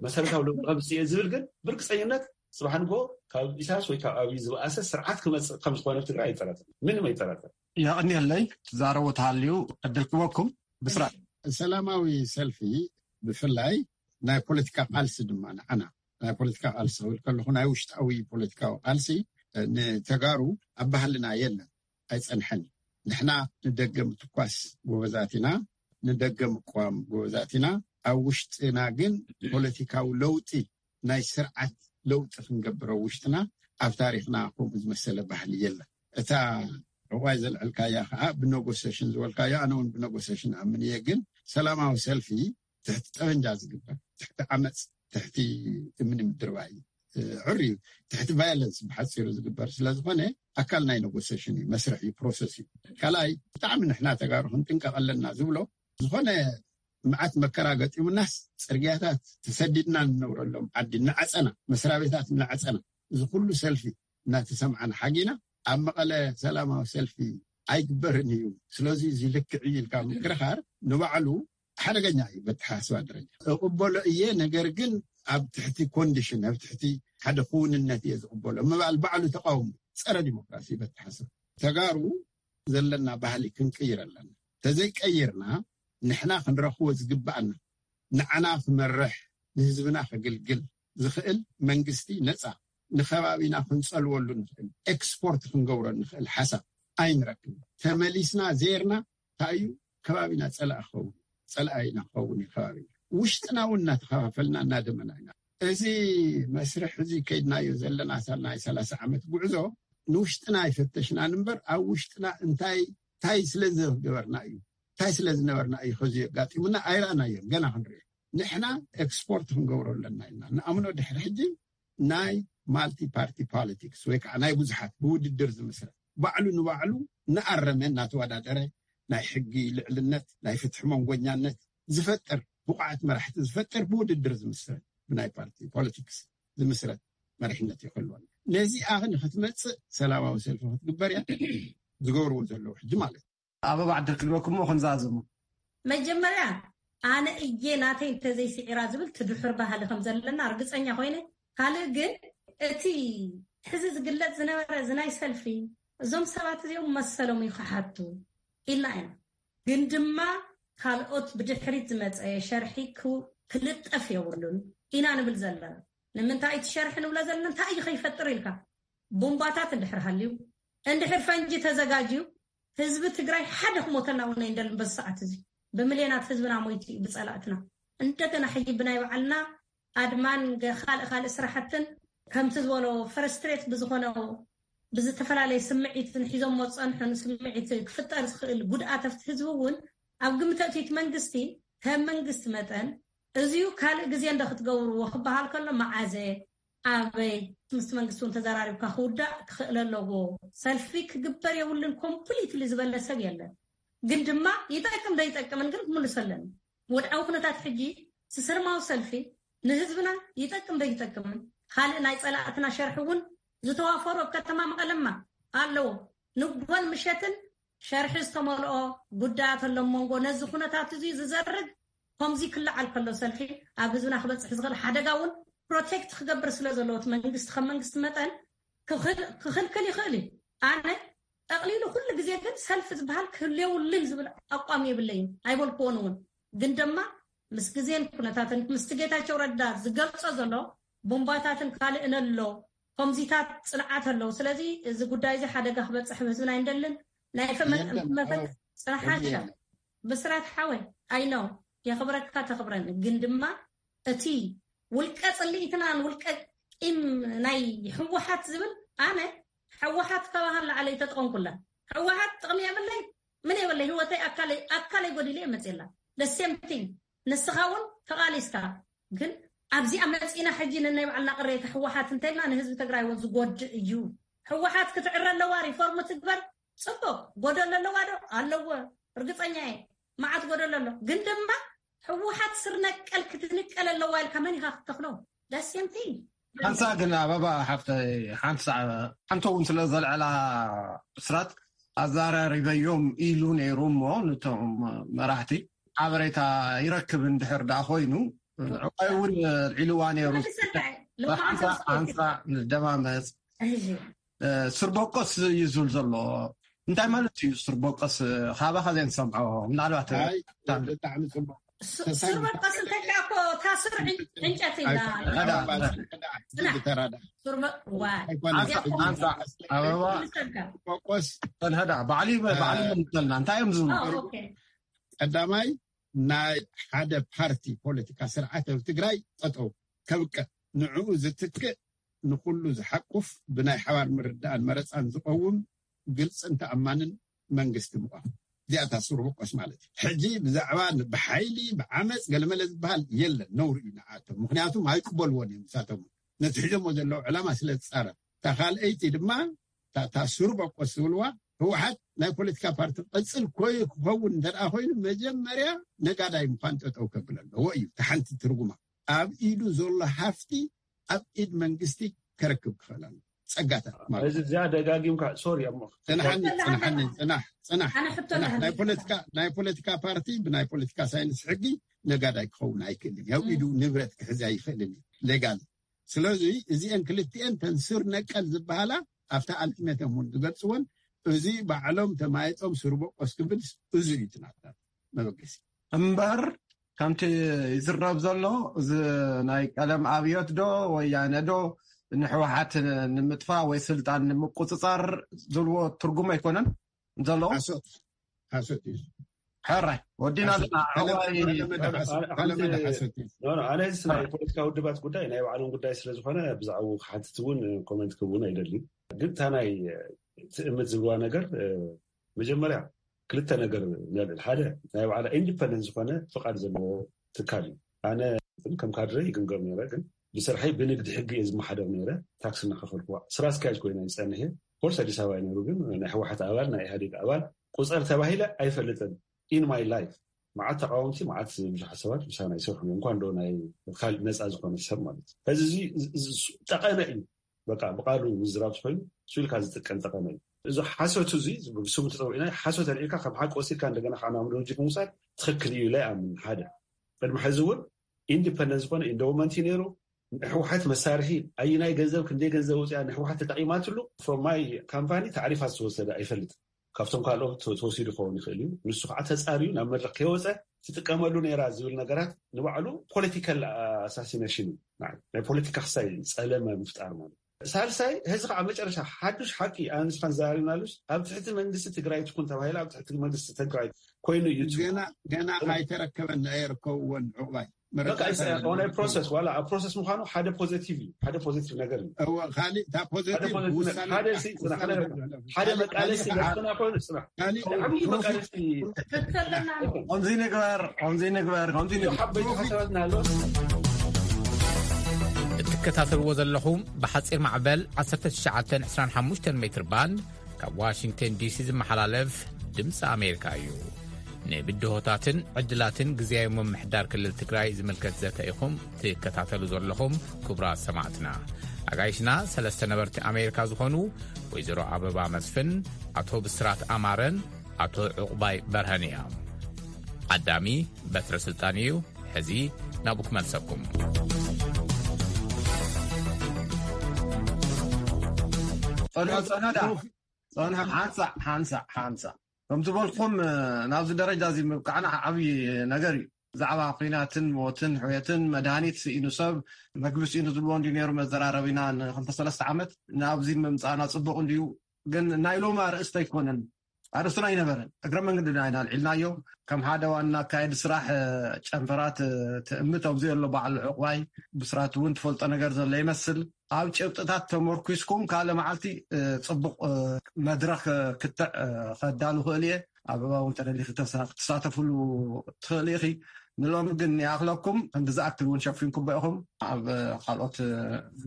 መሰረታዊ ለውጢ ከምፅእ እየ ዝብል ግን ብርግፀኝነት ፅባሕ ንጎ ካብ ኢሳያስ ወይ ካብ ኣብይ ዝበኣሰ ስርዓት ክመፅእ ከምዝኾነ ትግራይ ኣይጠራጠር ምንም ኣይጠራጠር። የቐንየለይ ትዛረቡ ተሃልዩ ዕድል ክበኩም ብስራት። ሰላማዊ ሰልፊ ብፍላይ ናይ ፖለቲካ ቃልሲ ድማ ንዓና ናይ ፖለቲካ ቃልሲ ክብል ከለኹ ናይ ውሽጣዊ ፖለቲካዊ ቃልሲ ንተጋሩ ኣብ ባህልና የለን ኣይፀንሐን። ንሕና ንደገ ምትኳስ ጎበዛት ኢና፣ ንደገ ምቋም ጎበዛት ኢና። ኣብ ውሽጥና ግን ፖለቲካዊ ለውጢ ናይ ስርዓት ለውጢ ክንገብር ኣብ ውሽጥና ኣብ ታሪክና ከምኡ ዝመሰለ ባህሊ የለን። እታ ዕቋይ ዘልዐልካያ ከዓ ብነጎሰሽን ዝበልካዮ ኣነ እውን ብነጎሰሽን ኣምን እየ። ግን ሰላማዊ ሰልፊ ትሕቲ ጠበንጃ ዝግበር ትሕቲ ዓመፅ ትሕቲ እምኒ ምድርባይ እዩ። ዕር እዩ ትሕቲ ቫዮለንስ ብሓፂሩ ዝግበር ስለዝኾነ ኣካል ናይ ነጎሰሽን እዩ መስርሕ እዩ ፕሮሰስ እዩ። ካልኣይ ብጣዕሚ ንሕና ተጋሩ ክንጥንቀቕ ኣለና ዝብሎ ዝኾነ መዓት መከራ ገጢሙናስ ፅርግያታት ተሰዲድና ንነብረሎም ዓዲ እናዓፀና መስራቤታት እናዓፀና እዚ ኩሉ ሰልፊ እናተሰምዓና ሓጊና ኣብ መቐለ ሰላማዊ ሰልፊ ኣይግበርን እዩ ስለዚ እዚ ልክዕ እዩ ኢልካ ምክርኻር ንባዕሉ ሓደገኛ እዩ በተሓሳስባ ደረጃ እቕበሎ እየ ነገር ግን ኣብ ትሕቲ ኮንዲሽን ኣብ ትሕቲ ሓደ ክውንነት እየ ዝቕበሎ ምባል ባዕሉ ተቃውሞ ፀረ ዲሞክራሲ በተሓሳስባ ተጋሩ ዘለና ባህሊ ክንቅይር ኣለና። ተዘይቀይርና ንሕና ክንረኽቦ ዝግባኣና ንዓና ክመርሕ ንህዝብና ከግልግል ዝኽእል መንግስቲ ነፃ ንከባቢና ክንፀልወሉ ንኽእል ኤክስፖርት ክንገብሮ ንኽእል ሓሳብ ኣይንረክብ። ተመሊስና ዜርና እንታይ እዩ ከባቢና ፀላእ ክኸውን ፀላኣይና ክኸውን እዩ ከባቢና ውሽጥና እውን እናተኸፋፈልና እናደመና ኢና። እዚ መስርሕ እዚ ከይድናዮ ዘለና ናይ ሰላሳ ዓመት ጉዕዞ ንውሽጥና ኣይፈተሽናን እምበር ኣብ ውሽጥና እንታይ እንታይ ስለ ዝገበርና እዩ እንታይ ስለ ዝነበርና እዩ ከዚ የጋጢሙና ኣይረኣናዮን ገና ክንሪኦ ንሕና ኤክስፖርት ክንገብሮ ኣለና ኢልና ንኣምኖ። ድሕሪ ሕጂ ናይ ማልቲ ፓርቲ ፖለቲክስ ወይ ከዓ ናይ ብዙሓት ብውድድር ዝምስረት፣ ባዕሉ ንባዕሉ እናኣረመ እናተወዳደረ ናይ ሕጊ ልዕልነት፣ ናይ ፍትሒ መንጎኛነት ዝፈጥር፣ ብቑዓት መራሕቲ ዝፈጥር፣ ብውድድር ዝምስረት፣ ብናይ ፓርቲ ፖለቲክስ ዝምስረት መሪሕነት ይኽህልወና። ነዚኣ ንክትመፅእ ሰላማዊ ሰልፊ ክትግበር እያ ዝገብርዎ ዘለዉ ሕጂ ማለት እዩ። ኣበባ ዕድል ክልበኩም እሞ ክንዛዝሙ። መጀመርያ ኣነ እየ ናተይ እንተዘይስዒራ ዝብል ትድሕር ባህሊ ከም ዘለና ርግፀኛ ኮይነ። ካልእ ግን እቲ ሕዚ ዝግለጽ ዝነበረ እዚ ናይ ሰልፊ፣ እዞም ሰባት እዚኦም መሰሎም እዩ ክሓቱ ኢልና ኢና። ግን ድማ ካልኦት ብድሕሪት ዝመጸ ሸርሒ ክው- ክልጠፍ የብሉን ኢና ንብል ዘለና። ንምንታይ እቲ ሸርሒ ንብሎ ዘለና እንታይ እዩ ከይፈጥር ኢልካ? ቡምባታት እንድሕር ሃልዩ፣ እንድሕር ፈንጂ ተዘጋጅዩ፣ ህዝቢ ትግራይ ሓደ ክሞተና እውን ኣይንደልን። በዚ ሰዓት እዚ ብምልዮናት ህዝብና ሞይቱ እዩ ብጸላእትና። እንደገና ሕጂ ብናይ ባዕልና ኣድማን ገ- ካልእ ካልእ ስራሕትን ከምቲ ዝበሎ ፍረስትሬት ብዝኾነ ብዝተፈላለየ ስምዒትን ሒዞሞ ዝጸንሑን ስምዒት ክፍጠር ዝኽእል ጉድኣት ኣብቲ ህዝቢ እውን ኣብ ግምት ኣእትዩ እቲ መንግስቲ ከም መንግስቲ መጠን እዚዩ ካልእ ግዜ እንዶ ክትገብርዎ ክበሃል ከሎ መዓዘ ኣበይ ምስ መንግስቲ እውን ተዘራሪብካ ክውዳእ ክኽእል ኣለዎ። ሰልፊ ክግበር የብሉን ኮምፕሊትሊ ዝበለ ሰብ የለን። ግን ድማ ይጠቅም ዶ ይጠቅምን ግን ክምልሶ ኣለኒ። ወድዓዊ ኩነታት ሕጂ ስስርማዊ ሰልፊ ንህዝብና ይጠቅም ዶ ይጠቅምን ካልእ ናይ ጸላእትና ሸርሒ እውን ዝተዋፈሩ ኣብ ከተማ መቐለማ ኣለዎ። ንግሆን ምሸትን ሸርሒ ዝተመልኦ ጉዳያት ኣሎ መንጎ ነዚ ኩነታት እዚ ዝዘርግ ከምዚ ክለዓል ከሎ ሰልፊ ኣብ ህዝብና ክበፅሕ ዝኽእል ሓደጋ እውን ፕሮቴክት ክገብር ስለ ዘለዎ እቲ መንግስቲ ከም መንግስቲ መጠን ክኽል- ክኽልክል ይኽእል እዩ። ኣነ ጠቕሊሉ ኩሉ ግዜ ግን ሰልፊ ዝበሃል ክህልየውልን ዝብል ኣቋም የብለይን ኣይበልክዎን እውን። ግን ድማ ምስ ግዜን ኩነታትን ምስቲ ጌታቸው ረዳ ዝገልጾ ዘሎ ቡምባታትን ካልእን ኣሎ ከምዚታት ፅንዓት ኣለዉ። ስለዚ እዚ ጉዳይ እዚ ሓደጋ ክበፅሕ ብህዝብና ኣይንደልን። ናይ ፈመ- የለን፣ መፈ- ኣዎ፣ ፅንሓሻ የለን። ብስራት ሓወይ ኣይኖ የኽብረካ ተኽብረኒ። ግን ድማ እቲ ውልቀ ፅልኢትናን ውልቀ ቂም ናይ ህወሓት ዝብል ኣነ ህወሓት ከባሃ ላዕለ ይተጠቐምኩላ። ህወሓት ጥቕሚ የብለይ ምን የብለይ ህይወተይ ኣካለይ ኣካለይ ጎዲለ እየ መፅየላ። ደሴምቲን ንስኻ እውን ተቓሊስካ ግን ኣብዚኣ መፂና ሕጂ ንናይ ባዕልና ቅሬታ ህወሓት እንተልና ንህዝቢ ትግራይ እውን ዝጎድእ እዩ። ህወሓት ክትዕረ ኣለዋ፣ ሪፎርም ትግበር። ፅቡቅ ጎደሎ ኣለዋ ዶ ኣለዎ? እርግፀኛ እየ መዓት ጎደሎ ኣሎ። ግን ድማ ህወሓት ስር ነቀል ክትንቀል ኣለዋ ኢልካ መን ኢኻ ክትተኽሎ? ደሴምቲን ሓንሳ ግን ኣበባ ሓፍተ ሓንሳ ሓንቶ እውን ስለ ዘልዕላ ብስራት ኣዛራሪበዮም ኢሉ ነይሩ እሞ ነቶም መራሕቲ ሓበሬታ ይረክብ እንድሕር ደኣ ኮይኑ ዕዋይ እውን ልዒልዋ ነይሩ። ሓንሳ ንደማመፅ። ስርበቆስ እዩ ዝብል ዘሎ እንታይ ማለት እዩ? ስርበቆስ ካባኻ ዘይንሰምዖ ምናልባት ብጣዕሚ ፅቡቅ። ስርበቆስ እንተልካ እኮ እታ ስር ዕንጨት ኢላ። ኣበባ ቆስ ተንሀዳ ባዕሊ ባዕሊ ምንተልና እንታይ እዮም ዝብሉ? ቀዳማይ ናይ ሓደ ፓርቲ ፖለቲካ ስርዓት ኣብ ትግራይ ጠጠው ከብቅዕ ንዕኡ ዝትክእ ንኩሉ ዝሓቁፍ ብናይ ሓባር ምርዳእን መረፃን ዝቀውም ግልፅን ተኣማንን መንግስቲ ምቋም። እዚኣታ ስርበቆስ ማለት እዩ። ሕጂ ብዛዕባ ብሓይሊ ብዓመፅ ገለመለ ዝበሃል የለን፣ ነውሪ እዩ ንዓቶም። ምክንያቱም ኣይቅበልዎን እዮም ንሳቶም ነቲ ሒዞሞ ዘለዉ ዕላማ ስለ ዝፃረር። እታ ካልኣይቲ ድማ እታ ስርበቆስ ዝብልዋ ህወሓት ናይ ፖለቲካ ፓርቲ ቅፅል ኮይ ክኸውን እንተ ኮይኑ መጀመርያ ነጋዳይ ምኳን ጠጠው ከብል ኣለዎ እዩ። እታ ሓንቲ ትርጉማ ኣብ ኢዱ ዘሎ ሃፍቲ ኣብ ኢድ መንግስቲ ከረክብ ክኽእል ኣሎ። ፀጋታት ማለት እዚ እዚኣ ደጋጊምካ ሶሪ እሞ ፅንሓኒ ፅንሓኒ ፅናሕ ፅናሕ ኣነ ሕቶ ፅናሕ ናይ ኣለኒ። ፖለቲካ ናይ ፖለቲካ ፓርቲ ብናይ ፖለቲካ ሳይንስ ሕጊ ነጋዳይ ክኸውን ኣይክእልን እዩ። ኣብ ኢዱ ንብረት ክሕዝ ኣይኽእልን እዩ ሌጋል። ስለዚ እዚአን ክልቲአን ተን ስር ነቀል ዝበሃላ ኣብታ ኣልቲሜተም እውን ዝገልፅወን እዚ ባዕሎም ተማይጦም ስርበቆስ ክብል እዚ እዩ ትናታት መበገሲ እምበር ከምቲ ይዝረብ ዘሎ እዚ ናይ ቀለም ኣብዮት ዶ ወያነ ዶ ንሕወሓት ንምጥፋእ ወይ ስልጣን ንምቁፅፃር ዝብልዎ ትርጉም ኣይኮነን ዘለዎ። ሓሶት ሓሶት እዩ። ሕራይ ወዲና ኣለና። እዋይ ተለመደ ሓሶት እዩ። ኖ፣ ኖ፣ ኣነ እዚ ናይ ፖለቲካ ውድባት ጉዳይ ናይ ባዕሎም ጉዳይ ስለ ዝኾነ ብዛዕባኡ ክሓትት እውን ኮመንት ክህብ እውን ኣይደልን። ግን እታ ናይ ትእምት ዝብልዋ ነገር መጀመርያ ክልተ ነገር ነልዕል። ሓደ ናይ ባዕላ ኢንዲፐንደንት ዝኾነ ፍቓድ ዘለዎ ትካል እዩ። ኣነ ከም ካድረ ይግምገም ነይረ፣ ግን ብስርሐይ ብንግዲ ሕጊ እየ ዝመሓደር ነይረ። ታክስ እናኸፈልኩ ስራ ኣስኪያጅ ኮይነ ዝፀንሐ ኮርስ ኣዲስ ኣበባ እዩ ነይሩ። ግን ናይ ህወሓት ኣባል፣ ናይ ኢህኣዴግ ኣባል፣ ቁፀር ተባሂለ ኣይፈልጥን። In my life መዓት ተቃወምቲ፣ መዓት ብዙሓት ሰባት ምሳና ይሰርሑ እዮም። እንኳን ዶ ናይ ካልእ ነፃ ዝኾነ ሰብ ማለት እዩ። ሕዚ እዚ ጠቐነ እዩ። በቃ ብቃሉ ምዝራብ ኮይኑ ስልካ ዝጥቀም ጠቐነ እዩ። እዚ ሓሶት እዚ ብስሙ ተፀዊዕና ሓሶት ኣልዒልካ ከም ሓቂ ወሲድካ እንደገና ከዓ ናብ ሎጂክ ምውሳድ ትኽክል እዩ ኢለ ይኣምን። ሓደ ቅድሚ ሕዚ እውን ኢንዲፐንደንት ዝኾነ ኢንዶውመንት እዩ ነይሩ። ንሕወሓት መሳርሒ ኣየናይ ገንዘብ ክንደይ ገንዘብ ወፅያ ንሕወሓት ተጠቂማትሉ from my company ታዕሪፋ ዝተወሰደ ኣይፈልጥ። ካብቶም ካልኦት ተወሲዱ ክኸውን ይኽእል እዩ። ንሱ ከዓ ተፃርዩ ናብ መድረክ ከይወፀ ትጥቀመሉ ነይራ ዝብል ነገራት ንባዕሉ ፖለቲካል ኣሳሲነሽን እዩ። ናይ ፖለቲካ ክሳይ ፀለመ ምፍጣር ማለት። ሳልሳይ ሕዚ ከዓ መጨረሻ ሓዱሽ ሓቂ ኣንስኻን ዛሪናሉስ ኣብ ትሕቲ መንግስቲ ትግራይ ትኩን ተባሂላ ኣብ ትሕቲ መንግስቲ ትግራይ ኮይኑ እዩ። ገና ገና ኣይተረከበን ኣይርከብዎን ዕቁባይ ፕሮሰስ ዋላ ኣብ ፕሮሰስ ምኳኑ ሓደ ፖዘቲቭ እዩ። ሓደ ፖዘቲቭ ነገር እዩ። ካልእ እታ ፖዘቲቭ ሓደ መቃለሲ ዘፍና ኮይኑ ፅና ዓብዪ መቃለሲ ከምዚ ንግበር ከምዚ ንግበር ከምዚ ንግበር ሓበይቲ ሓሳባትና ኣሎ። እትከታተልዎ ዘለኹም ብሓፂር ማዕበል ዓሰርተ ትሽዓተ ዕስራን ሓሙሽተን ሜትር ባንድ ካብ ዋሽንግተን ዲሲ ዝመሓላለፍ ድምፂ ኣሜሪካ እዩ። ንብድሆታትን ዕድላትን ግዜያዊ ምምሕዳር ክልል ትግራይ ዝምልከት ዘተ ኢኹም ትከታተሉ ዘለኹም። ክቡራት ሰማዕትና፣ ኣጋይሽና ሰለስተ ነበርቲ ኣሜሪካ ዝኾኑ ወይዘሮ ኣበባ መስፍን፣ ኣቶ ብስራት ኣማረን ኣቶ ዕቑባይ በርሀን እዮም። ዓዳሚ በትረ ስልጣን እዩ። ሕዚ ናብኡ ክመልሰኩም። ጸንሑ ጸንሑ ዳ ጸንሑ ሓንሳእ ሓንሳእ ሓንሳእ ከም ዝበልኩም ናብዚ ደረጃ እዚ ምብቃዕና ዓብዪ ነገር እዩ። ብዛዕባ ኩናትን ሞትን ሕውየትን መድሃኒት ስኢኑ ሰብ መግቢ ስኢኑ ዝብልዎ እንዲ ነይሩ መዘራረቢና ንክልተ ሰለስተ ዓመት ናብዚ ምምፃእና ፅቡቅ እንድዩ። ግን ናይ ሎሚ ኣርእስቲ ኣይኮነን። ኣርእስትና ኣይነበረን። እግረ መንገድና ኢና ኣልዒልናዮ። ከም ሓደ ዋና ኣካየዲ ስራሕ ጨንፈራት ትእምት ኣብዚ ዘሎ በዓል ዕቁባይ ብስራት እውን ትፈልጦ ነገር ዘሎ ይመስል። ኣብ ጭብጥታት ተመርኩስኩም ካልእ መዓልቲ ፅቡቅ መድረክ ክትዕ ከዳሉ ክእል እየ። ኣበባ እውን ተደሊኺ ክትሳተፍሉ ትኽእል ኢኺ። ንሎሚ ግን ይኣኽለኩም። ክንዲ ዝኣክል እውን ሸፊንኩሞ ኢኹም። ኣብ ካልኦት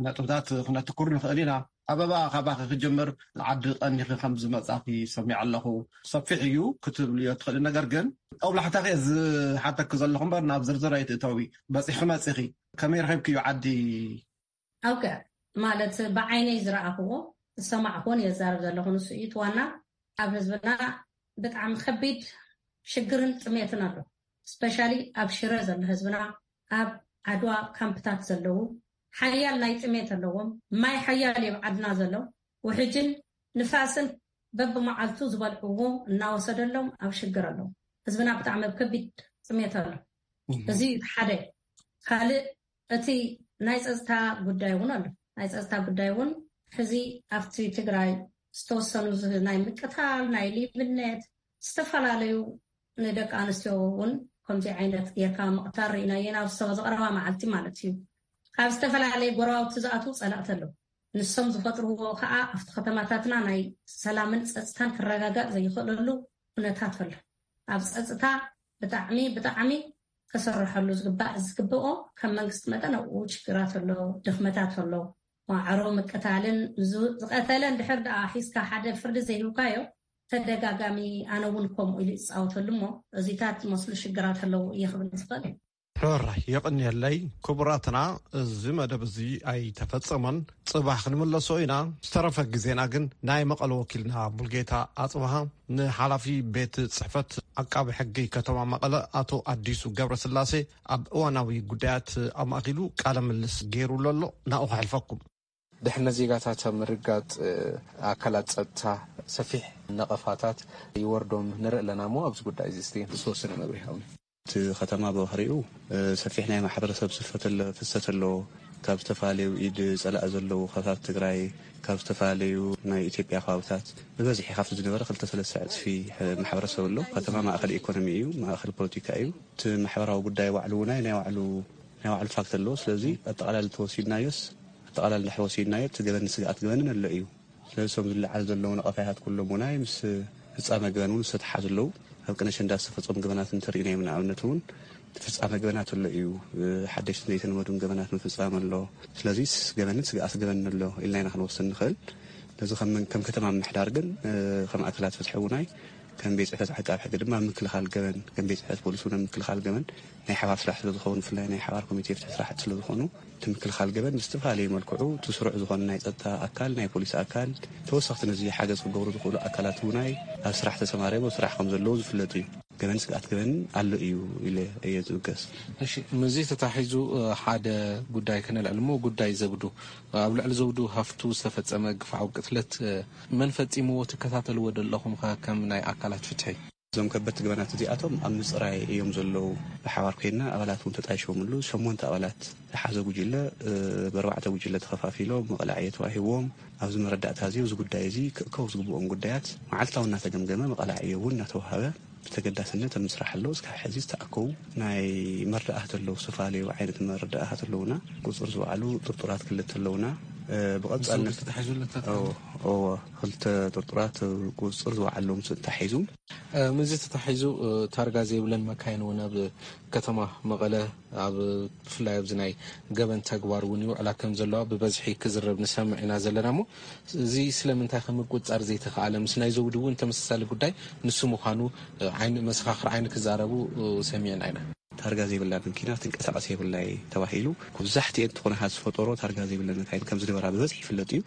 ነጥብታት ክነትኩር ንኽእል ኢና። ኣበባ፣ ካባኺ ክጅምር። ዓዲ ቀኒኺ ከም ዝመጻኺ ሰሚዐ ኣለኹ። ሰፊሕ እዩ ክትብልዮ ትኽእሊ። ነገር ግን ጦብላሕታኺ እየ ዝሓተኪ ዘለኹ እምበር ናብ ዝርዝር ኣይትእተዊ። በጺሕኺ መጺኺ። ከመይ ረኺብክዮ ዓዲ? ኦኬ፣ ማለት ብዓይነይ ዝረኣኽዎ ዝሰማዕክዎን እየ ዝዛረብ ዘለኹ። ንሱ እዩ እቲ ዋና። ኣብ ህዝብና ብጣዕሚ ከቢድ ሽግርን ጥሜትን ኣሎ። ስፔሻሊ ኣብ ሽረ ዘሎ ህዝብና፣ ኣብ ዓድዋ ካምፕታት ዘለዉ ሓያል ናይ ጥሜት ኣለዎም። ማይ ሓያል እዩ ኣብ ዓድና ዘሎ። ውሕጅን ንፋስን በብመዓልቱ ዝበልዕዎ እናወሰደሎም ኣብ ሽግር ኣለዉ። ህዝብና ብጣዕሚ ኣብ ከቢድ ጥሜት ኣሎ። እዚ ሓደ። ካልእ እቲ ናይ ፀፅታ ጉዳይ እውን ኣሎ። ናይ ፀፅታ ጉዳይ እውን ሕዚ ኣብቲ ትግራይ ዝተወሰኑ ዝ- ናይ ምቅታል፣ ናይ ሌብነት፣ ዝተፈላለዩ ንደቂ ኣንስትዮ እውን ከምዚ ዓይነት ጌርካ ምቕታል ርኢናዮ ናብ ዝተወ ዝቐረባ መዓልቲ ማለት እዩ። ካብ ዝተፈላለየ ጎረባብቲ ዝኣትዉ ፀላእቲ ኣለዉ። ንሶም ዝፈጥርዎ ከዓ ኣብቲ ከተማታትና ናይ ሰላምን ፀፅታን ክረጋጋእ ዘይኽእለሉ ኩነታት ኣሎ። ኣብ ፀፅታ ብጣዕሚ ብጣዕሚ ክስርሐሉ ዝግባእ ዝግብኦ ከም መንግስቲ መጠን ኣብኡ ችግራት ኣሎ፣ ድኽመታት ኣሎ። ማዕሮ ምቅታልን ዝቀተለ እንድሕር ደኣ ሒዝካ ሓደ ፍርዲ ዘይህብካዮ ተደጋጋሚ ኣነ እውን ከምኡ ኢሉ ይፃወተሉ እሞ እዚታት ዝመስሉ ሽግራት ኣለዉ እየ ክብል ዝኽእል። ሕራይ የቕንየለይ ክቡራትና፣ እዚ መደብ እዚ ኣይተፈጸመን፣ ጽባሕ ክንምለሶ ኢና። ዝተረፈ ግዜና ግን ናይ መቐለ ወኪልና ሙልጌታ ኣጽብሃ ንሓላፊ ቤት ጽሕፈት ዓቃቢ ሕጊ ከተማ መቐለ ኣቶ ኣዲሱ ገብረስላሴ ኣብ እዋናዊ ጉዳያት ኣማእኪሉ ቃለ ምልልስ ገይሩሉ ኣሎ። ናብኡ ከሕልፈኩም። ድሕነት ዜጋታት ኣብ ምርጋጥ ኣካላት ጸጥታ ሰፊሕ ነቐፋታት ይወርዶም ንርኢ ኣለና እሞ ኣብዚ ጉዳይ እዚ እስቲ ዝተወሰነ መብርሂ ሃቡኒ። እቲ ከተማ ብባህሪኡ ሰፊሕ ናይ ማሕበረሰብ ስፈት ፍሰት ኣለዎ። ካብ ዝተፈላለዩ ኢድ ጸላኢ ዘለዉ ከባብታት ትግራይ፣ ካብ ዝተፈላለዩ ናይ ኢትዮጵያ ከባብታት ብበዝሒ ካብቲ ዝነበረ ክልተ ሰለስተ ዕጽፊ ማሕበረሰብ ኣሎ። ከተማ ማእኸል ኢኮኖሚ እዩ፣ ማእኸል ፖለቲካ እዩ። እቲ ማሕበራዊ ጉዳይ ባዕሉ እውን ናይ ባዕሉ ናይ ባዕሉ ፋክት ኣለዎ። ስለዚ ኣጠቓላሊ ተወሲድናዮስ ኣጠቓላሊ እንድሕር ወሲድናዮ እቲ ገበን ስግኣት ገበንን ኣሎ እዩ። ስለዚ እቶም ዝለዓሉ ዘለዉ ነቐፋያታት ኩሎም ውናይ ምስ ፍጻመ ገበን እውን ዝተተሓዙ ኣለዉ። ኣብ ቅነ ሸንዳ ዝተፈጸሙ ገበናት እንተሪእናዮም ንኣብነት እውን ፍጻመ ገበናት ኣሎ እዩ። ሓደሽትን ዘይተለመዱን ገበናት ምፍጻም ኣሎ። ስለዚስ ገበንን ስግኣት ገበንን ኣሎ ኢልና ኢና ክንወስን ንኽእል። ስለዚ ከም ከም ከተማ ምምሕዳር ግን ከም ኣካላት ፍትሒ እውን ኣይ ከም ቤት ጽሕፈት ዓቃብ ሕጊ ድማ ምክልኻል ገበን ከም ቤት ጽሕፈት ፖሊስ እውን ምክልኻል ገበን ናይ ሓባር ስራሕ ስለ ዝኾኑ ብፍላይ ናይ ሓባር ኮሚቴ ፍትሒ ስራሕቲ ስለ ዝኾኑ እቲ ምክልኻል ገበን ብዝተፈላለየ መልክዑ እቲ ስሩዕ ዝኾነ ናይ ጸጥታ ኣካል ናይ ፖሊስ ኣካል ተወሰኽቲ ነዚ ሓገዝ ክገብሩ ዝኽእሉ ኣካላት እውን ኣይ ኣብ ስራሕ ተሰማርዮም ኣብ ስራሕ ከም ዘለዉ ዝፍለጥ እዩ። ገበን ስግኣት ገበን ኣሎ እዩ ኢለ እየ ዝብገስ። እሺ፣ ምስዚ ተታሒዙ ሓደ ጉዳይ ከነልዕል እሞ ጉዳይ ዘውዱ ኣብ ልዕሊ ዘውዱ ሃፍቱ ዝተፈጸመ ግፍዓዊ ቅትለት መን ፈጺምዎ ትከታተልዎ ደለኹም ከ ከም ናይ ኣካላት ፍትሒ? እዞም ከበድቲ ገበናት እዚኣቶም ኣብ ምፅራይ እዮም ዘለዉ። ብሓባር ኮይና ኣባላት እውን ተጣይሾምሉ ሸሞንተ ኣባላት ዝሓዘ ጉጅለ ብኣርባዕተ ጉጅለ ተኸፋፊሎም መቐላዕዮ ተዋሂብዎም ኣብዚ መረዳእታ እዚ እዚ ጉዳይ እዚ ክእከቡ ዝግብኦም ጉዳያት መዓልታዊ እናተገምገመ መቐላዕዮ እውን እናተዋሃበ ብተገዳስነት ኣብ ምስራሕ ኣሎ። እስካብ ሕዚ ዝተኣከቡ ናይ መረዳእታ ኣለዉ፣ ዝተፈላለዩ ዓይነት መረዳእታ ኣለዉና። ቁፅር ዝወዓሉ ጥርጡራት ክልተ ኣለዉና። ብቐፃልነት ተታሒዙ ኣሎ። ክልተ ጥርጡራት ቁፅር ዝወዓሎም ተታሒዙ። ምስዚ ተታሒዙ ታርጋ ዘይብለን መካይን እውን ኣብ ከተማ መቐለ ኣብ ብፍላይ ኣብዚ ናይ ገበን ተግባር እውን ይውዕላ ከም ዘለዋ ብበዝሒ ክዝረብ ንሰምዕ ኢና ዘለና እሞ እዚ ስለምንታይ ከም ምቁፅፃር ዘይተኽኣለ ምስ ናይ ዘውዲ እውን ተመሳሳሊ ጉዳይ ንሱ ምዃኑ ዓይኒ መሰኻኽር ዓይኒ ክዛረቡ ሰሚዕና ኢና። ታርጋ ዘይብላ መኪና ትንቀሳቐስ የብላይ ተባሂሉ መብዛሕትኤን ትኾነ ዝፈጠሮ ታርጋ ዘይብለን መካይን ከም ዝነበራ ብበዝሒ ይፍለጥ እዩ።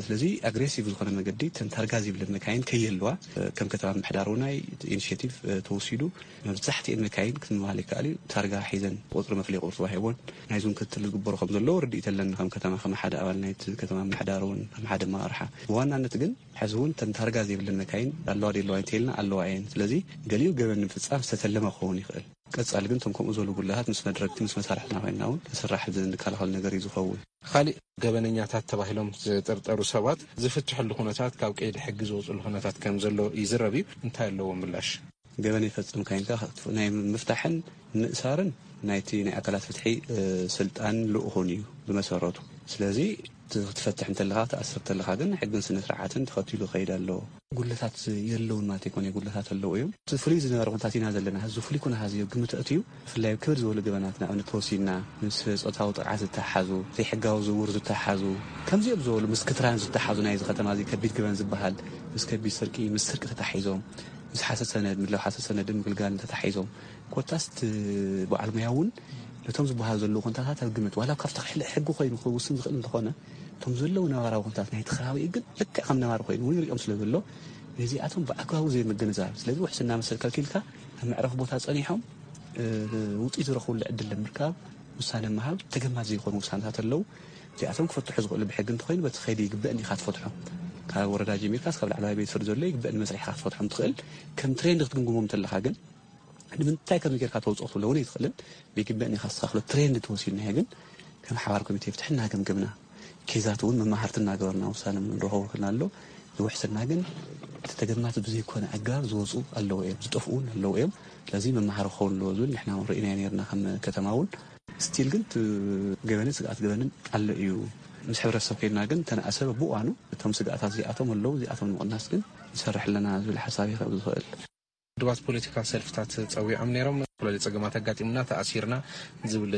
ስለዚ ኣግሬሲቭ ዝኾነ መገዲ ተን ታርጋ ዘይብለን መካይን ከይህልዋ ከም ከተማ ምምሕዳር እውን ናይ ኢኒሽቲቭ ተወሲዱ መብዛሕትኤን መካይን ክትምባል ይከኣል እዩ። ታርጋ ሒዘን ቁፅሪ መፍለይ ቁፅሪ ተዋሂቦን ናይ ዞን ክትትል ዝግበሩ ከም ዘለዉ ርድኢት ኣለኒ ከም ከተማ ከም ሓደ ኣባል ናይቲ ከተማ ምምሕዳር እውን ከም ሓደ ኣመራርሓ ብዋናነት ግን ሕዚ እውን ተን ታርጋ ዘይብለን መካይን ኣለዋ ዶ የለዋ እንተይልና ኣለዋ እየን። ስለዚ ገሊኡ ገበን ንምፍፃም ዝተተለመ ክኸውን ይኽእል። ቀፃሊ ግን እቶም ከምኡ ዝበሉ ጉድለታት ምስ መድረግቲ ምስ መሳርሕትና ኮይንና እውን ክስራሕ ዝንከላኸል ነገር እዩ ዝኸውን። ካሊእ ገበነኛታት ተባሂሎም ዝጥርጠሩ ሰባት ዝፍትሕሉ ኩነታት ካብ ቀይዲ ሕጊ ዝወፅሉ ኩነታት ከም ዘሎ ይዝረብ እዩ። እንታይ ኣለዎ ምላሽ? ገበን ይፈፅም ካይንካ ናይ ምፍታሕን ምእሳርን ናይቲ ናይ ኣካላት ፍትሒ ስልጣን ልኡኹን እዩ ብመሰረቱ። ስለዚ ክትፈትሕ እንተለኻ ክትኣስር እንተለኻ ግን ሕግን ስነ ስርዓትን ተኸቲሉ ከይድ ኣለዎ። ጉድለታት የለውን ማለት ኣይኮነ፣ ጉድለታት ኣለዎ እዮም። እቲ ፍሉይ ዝነበረ ኩነታት ኢና ዘለና። እዚ ፍሉይ ኩነታት እዚ ግምት ኣእትዩ ብፍላይ ክብድ ዝበሉ ገበናት ንኣብነት ተወሲድና ምስ ፆታዊ ጥቕዓት ዝተሓዙ፣ ዘይሕጋዊ ዝውውር ዝተሓዙ፣ ከምዚኦም ዝበሉ ምስ ክትራን ዝተሓዙ ናይዚ ከተማ እዚ ከቢድ ገበን ዝበሃል ምስ ከቢድ ስርቂ፣ ምስ ስርቂ ተታሒዞም፣ ምስ ሓሰት ሰነድ፣ ምድላው ሓሰት ሰነድን ምግልጋልን ተታሒዞም ኮታስ እቲ በዓል ሙያ እውን ነቶም ዝበሃሉ ዘለዉ ኩነታታት ኣብ ግምት ዋላ ካብቲ ሕጊ ኮይኑ ክውስን ዝኽእል እንተኾነ እቶም ዘለዉ ነባራዊ ኩነታት ናይቲ ከባቢ ግን ልክዕ ከም ነባሪ ኮይኑ እውን ይሪኦም ስለ ዘሎ ነዚኣቶም ብኣግባቡ ዘይምግንዛብ ስለዚ ውሕስና መሰል ከልኪልካ ኣብ መዕረፊ ቦታ ፀኒሖም ውፅኢት ዝረኽብሉ ዕድል ንምርካብ ውሳነ ምሃብ ተገማት ዘይኮኑ ውሳነታት ኣለዉ። እዚኣቶም ክፈትሑ ዝኽእሉ ብሕጊ እንተኾይኑ በቲ ከይዲ ይግበእን ኢኻ ትፈትሖ። ካብ ወረዳ ጀሚርካስ ካብ ላዕለዋይ ቤት ፍርዲ ዘሎ ይግበእን መስሪሕካ ክትፈትሖም ትኽእል። ከም ትሬንድ ክትግምግሞም እንተለኻ ግን ንምንታይ ከምዚ ጌርካ ተውፅኦ ክትብሎ እውን ኣይትኽእልን። ብግበእን ኢኻ ተስተኻኽሎ። ትሬንድ ተወሲድናዮ ግን ከም ሓባር ኮሚቴ ፍትሒ እናገምገምና ኬዛት እውን መማህርቲ እናገበርና ውሳነ ንረኸቡ ክልና ኣሎ። ዝውሕስና ግን እቲ ተገማት ብዘይኮነ ኣገባብ ዝወፁ ኣለዉ እዮም፣ ዝጠፍኡ እውን ኣለዉ እዮም። ስለዚ መማሃሪ ክኸውን ኣለዎ ዝብል ንሕና እውን ርኢናዮ ነርና ከም ከተማ እውን ስቲል ግን እቲ ገበንን ስግኣት ገበንን ኣሎ እዩ። ምስ ሕብረተሰብ ከይድና ግን ተነኣሰበ ብእዋኑ እቶም ስግኣታት እዚኣቶም ኣለዉ እዚኣቶም ንምቕናስ ግን ይሰርሕ ኣለና ዝብል ሓሳብ ይኸብ ዝኽእል። ድባት ፖለቲካል ሰልፍታት ጸዊዖም ነይሮም። ዝተፈላለዩ ጸገማት ኣጋጢሙና ተኣሲርና ዝብል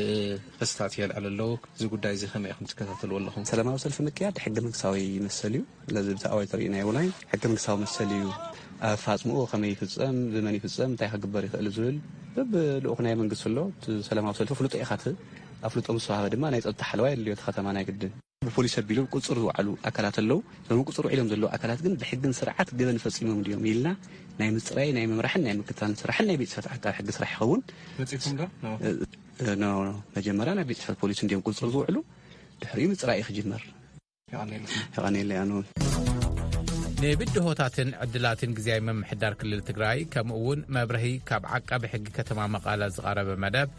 ክስታት የልዕል ኣለዉ። እዚ ጉዳይ እዚ ከመይ ኢኹም ትከታተልዎ ኣለኹም? ሰላማዊ ሰልፊ ምክያድ ሕገ መንግስታዊ ይመስል እዩ። ስለዚ ብዛዕባ ተርእዩ ናይ ውላይ ሕገ መንግስታዊ መሰል እዩ። ኣፋጽምኡ ከመይ ይፍጸም፣ ብመን ይፍጸም፣ እንታይ ክግበር ይኽእል ዝብል በብልኡኽ ናይ መንግስቲ ኣሎ። እቲ ሰላማዊ ሰልፊ ፍሉጦ ኢኻ ት-፣ ኣፍልጦ ምስ ወሃበ ድማ ናይ ጸጥታ ሓለዋ የድልዮ እቲ ከተማ ናይ ግድን። ብፖሊስ ኣቢሎም ቁጽር ዝወዓሉ ኣካላት ኣለዉ። እዞም ቁጽር ውዒሎም ዘለዉ ኣካላት ግን ብሕግን ስርዓት ገበን ፈጺሞም ድዮም ኢልና ናይ ምጽራይ፣ ናይ ምምራሕን ናይ ምክታልን ስራሕን ናይ ቤት ጽሕፈት ዓቃቢ ሕጊ ስራሕ ይኸውን። መጺእኩም ዶ? ኖ። እ፣ እ፣ ኖ፣ ኖ። መጀመርያ ናይ ቤት ጽሕፈት ፖሊስ እንድዮም ቁጽር ዝውዕሉ፣ ድሕሪኡ ምጽራይ እዩ ክጅመር። የቐንየልና። የቐንየለይ ኣነ እውን። ንብድሆታትን ዕድላትን ግዜያዊ ምምሕዳር ክልል ትግራይ፣ ከምኡ እውን መብርሂ ካብ ዓቃቢ ሕጊ ከተማ መቐለ ዝቐረበ መደብ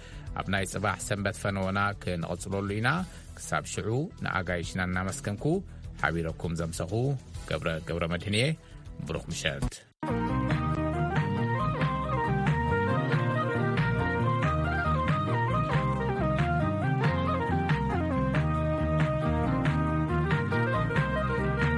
ኣብ ናይ ጽባሕ ሰንበት ፈነወና ክንቕጽለሉ ኢና። ክሳብ ሽዑ ንኣጋይሽና እናመስገንኩ ሓቢረኩም ዘምሰኹ ገብረ ገብረ መድህን እየ። ብሩኽ ምሸት።